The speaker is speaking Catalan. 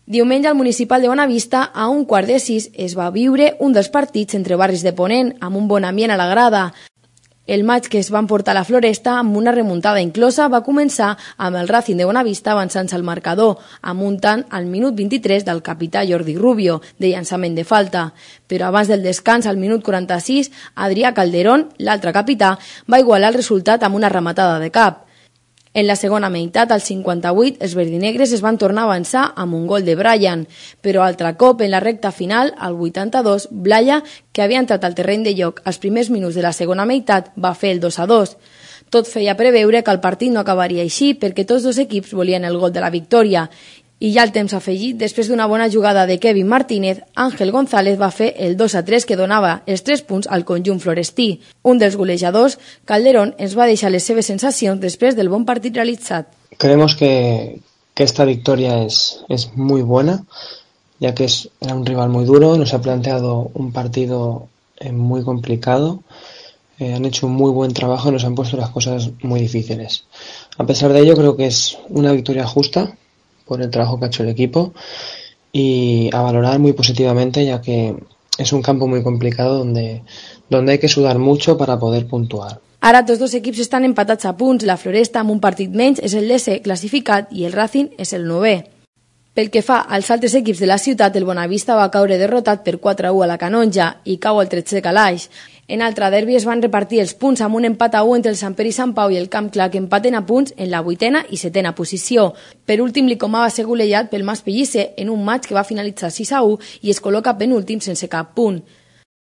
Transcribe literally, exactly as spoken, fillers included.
Diumenge al Municipal de Bonavista, a un quart de sis, es va viure un dels partits entre barris de Ponent, amb un bon ambient a la grada. El maig que es van portar a la Floresta amb una remuntada inclosa va començar amb el Racing de Bonavista avançant-se al marcador, amb un tant al minut vint-i-tres del capità Jordi Rubio, de llançament de falta. Però abans del descans, al minut quaranta-sis, Adrià Calderón, l'altre capità, va igualar el resultat amb una rematada de cap. En la segona meitat, al cinquanta-vuit, els verdinegres es van tornar a avançar amb un gol de Brian, però altre cop, en la recta final, al vuitanta-dos, Blaya, que havia entrat al terreny de joc als primers minuts de la segona meitat, va fer el dos a dos. Tot feia preveure que el partit no acabaria així perquè tots dos equips volien el gol de la victòria. I ja el temps afegit, després d'una bona jugada de Kevin Martínez, Ángel González va fer el dos a tres que donava els tres punts al conjunt florestí. Un dels golejadors, Calderón, ens va deixar les seves sensacions després del bon partit realitzat. Creemos que, que esta victoria es, es muy buena, ya que es, era un rival muy duro, nos ha planteado un partido eh, muy complicado, eh, han hecho un muy buen trabajo y nos han puesto las cosas muy difíciles. A pesar de ello, creo que es una victoria justa por el trabajo que ha hecho el equipo y a valorar muy positivamente, ya que es un campo muy complicado donde, donde hay que sudar mucho para poder puntuar. Ara tots dos equips estan empatats a punts, la Floresta amb un partit menys és el desè classificat i el Racing és el novè. Pel que fa als altres equips de la ciutat, el Bonavista va caure derrotat per quatre a u a la Canonja i cau al tretzè calaix. En altre derbi es van repartir els punts amb un empat a u entre el Sant Pere i Sant Pau i el Camp Clar, que empaten a punts en la vuitena i setena posició. Per últim, l'Icomà va ser golejat pel Mas Pellicer en un maig que va finalitzar sis a u i es col·loca penúltim sense cap punt.